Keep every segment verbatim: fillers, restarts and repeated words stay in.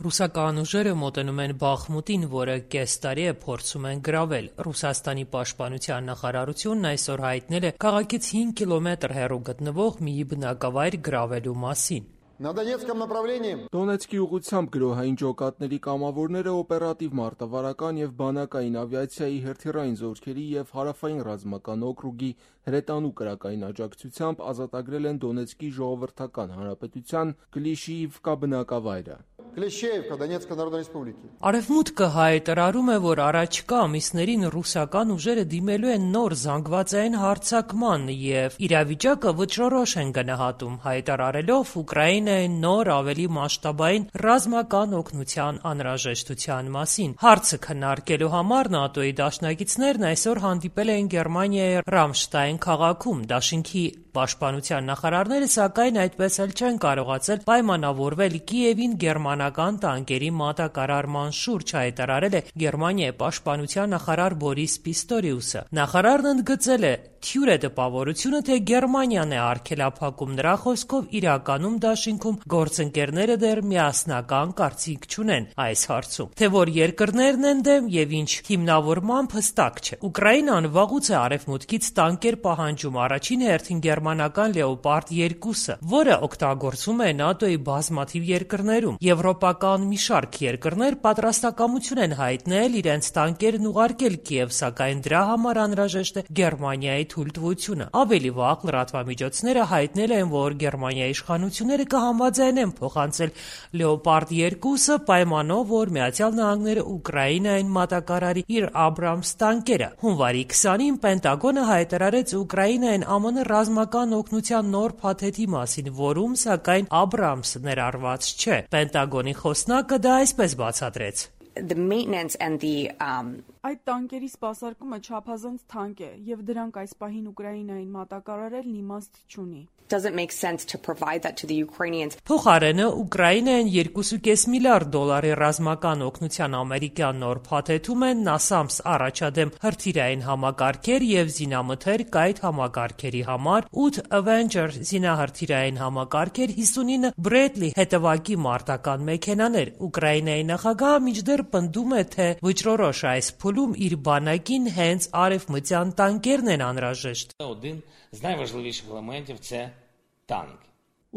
Ռուսական ուժերը մոտենում են Բախմուտին, որը կես տարի է փորձում են գրավել։ Ռուսաստանի պաշտպանության նախարարությունն այսօր հայտնել է քաղաքից հինգ կիլոմետր հեռու գտնվող մի բնակավայր գրավելու մասին։ Դոնեցկի ուղղությամբ գրոհային ջոկատների կամավորները օպերատիվ մարտավարական եւ բանակային ավիացիայի հրթիռային զորքերի եւ հարավային ռազմական օկրուգի հրետանու կրակային աջակցությամբ ազատագրել են Դոնեցկի ժողովրդական հանրապետության Կլիշիիվկա բնակավայրը։ Արևմուտքը հայտարարում է, որ առաջիկա ամիսներին ռուսական ուժերը դիմելու են նոր զանգվածային հարձակման եւ իրավիճակը վճռորոշ են գնահատում, հայտարարելով Ուկրաինայի նոր ավելի մասշտաբային ռազմական օգնության անհրաժեշտության մասին։ Հարցը քննարկելու համար ՆԱՏՕ-ի դաշնակիցներն այսօր հանդիպել են Գերմանիայի Ռամշտայն քաղաքում։ Դաշինքի պաշտպանության նախարարները, սակայն, այդպես էլ չեն կարողացել պայմանավորվել Կիևին գերմանական տանկերի մատակարարման շուրջ, հայտարարել է Գերմանիայի պաշտպանության նախարար Բորիս Պիստորիուսը։ Նախարարն ընդգծել է. «Թյուր է տպավորությունը, թե Գերմանիան է արգելափակում, նրա խոսքով իրականում դաշինքում գործընկերները դեռ միասնական կարծիք չունեն այս հարցում։ Թե որ երկրներն են դեմ եւ ինչ հիմնավորմամբ հստակ չէ։ Ուկրաինան վաղուց է արևմուտքից տանկեր պահանջում, առաջին հերթին գերմանական Լեոպարդ երկուսը, որը օգտագործվում է ՆԱՏՕ-ի բազմաթիվ երկրներում։ Եվրոպական մի շարք երկրներ պատրաստակամություն են հայտնել իրենց տանկերն ուղարկել Կիև, սակայն դրա համար անհրաժեշտ է Գերմանիայի թույլտվությունը։ Ավելի վաղ լրատվամիջոցները հայտնել են, որ Գերմանիայի իշխանությունները կհամաձայնեն փոխանցել Լեոպարդ երկուսը պայմանով, որ Միացյալ Նահանգները Ուկրաինային մատակարարի իր Աբրամս տանկերը։ Հունվարի քսանին Պենտագոնը հայտարարեց Ուկրաինային ԱՄՆ ռազմական օգնության նոր փաթեթի մասին, որում սակայն Աբրամսը ներառված չէ։ Պենտագոնի խոսնակը դա այսպես բացատրեց. The maintenance and the um Այդ տանկերի սպասարկումը չափազանց թանկ է, եւ դրանք այս պահին Ուկրաինային մատակարարելն իմաստ չունի։ Doesn't make sense to provide that to the Ukrainians. Փոխարենը Ուկրաինային երկու կես միլիարդ դոլարի ռազմական օգնության ամերիկյան նոր փաթեթում են նասամս առաջադեմ հրթիռային համակարգեր եւ զինամթեր կայտ համակարգերի համար, ութ Avenger զինահրթիռային համակարգեր, հիսունինը Bradley հետևակի մարտական մեքենաներ։ Ուկրաինայի նախագահը մինչդեռ պնդում է, թե վճռորոշ այս փուլում իր բանակին հենց արևմտյան տանկերն են անհրաժեշտ։ Один з найважливіших елементів це танк.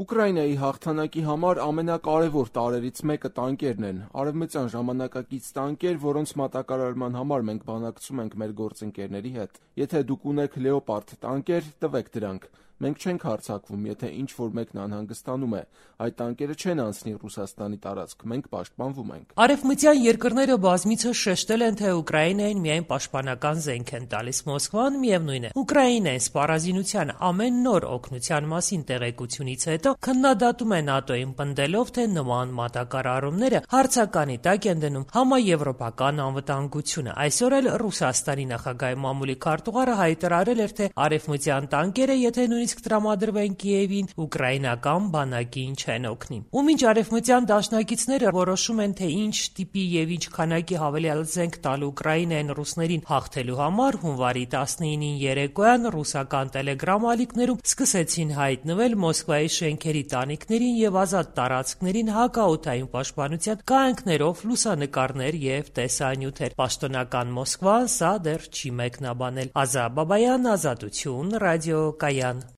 Ուկրաինայի հաղթանակի համար ամենակարևոր տարրերից մեկը տանկերն են։ Արևմտյան ժամանակակից տանկեր, որոնց մատակարարման համար մենք բանակցում ենք մեր գործընկերների հետ։ Եթե դուք ունեք Լեոպարդ տանկեր, տվեք դրանք։ Մենք չենք հարձակվում, եթե ինչ-որ մեկն անհանգստանում է։ Այդ տանկերը չեն անցնի Ռուսաստանի տարածք, մենք պաշտպանվում ենք։ Արևմտյան երկրները բազմիցս շեշտել են, թե Ուկրաինային միայն պաշտպանական զենք են տալիս։ Մոսկվան միևնույն է։ Ուկրաինային սպառազինության ամեն նոր օգնության մասին տեղեկությունից հետո քննադատում է ՆԱՏՕ-ին, պնդելով, թե նման մատակարարումները հարցականի տակ են դնում համաեվրոպական անվտանգությունը։ Այսօր էլ Ռուսաստանի նախագահի մամուլի քարտուղարը հայտարարել էր, թե արևմտյան տանկերը, եթե նույնիսկ տրամադրվեն Կիևին, ուկրաինական բանակին չեն օգնի։ Ու մինչ արևմտյան դաշնակիցները որոշում են, թե ինչ տիպի եւ ինչ քանակի հավելյալ զենք տալ Ուկրաինային ռուսներին հաղթելու համար, հունվարի տասնինին երեկոյան ռուսական տելեգրամ ալիքներում սկսեցին հայտնվել Մոսկվայի շենքերի տանիքներին եւ ազատ տարածքներին հակաօդային պաշտպանության կանոններով լուսանկարներ եւ տեսանյութեր։ Պաշտոնական Մոսկվան սա դեռ չի մեկնաբանել։ Ազա Բաբայան, Ազատություն, ռադիոկայան։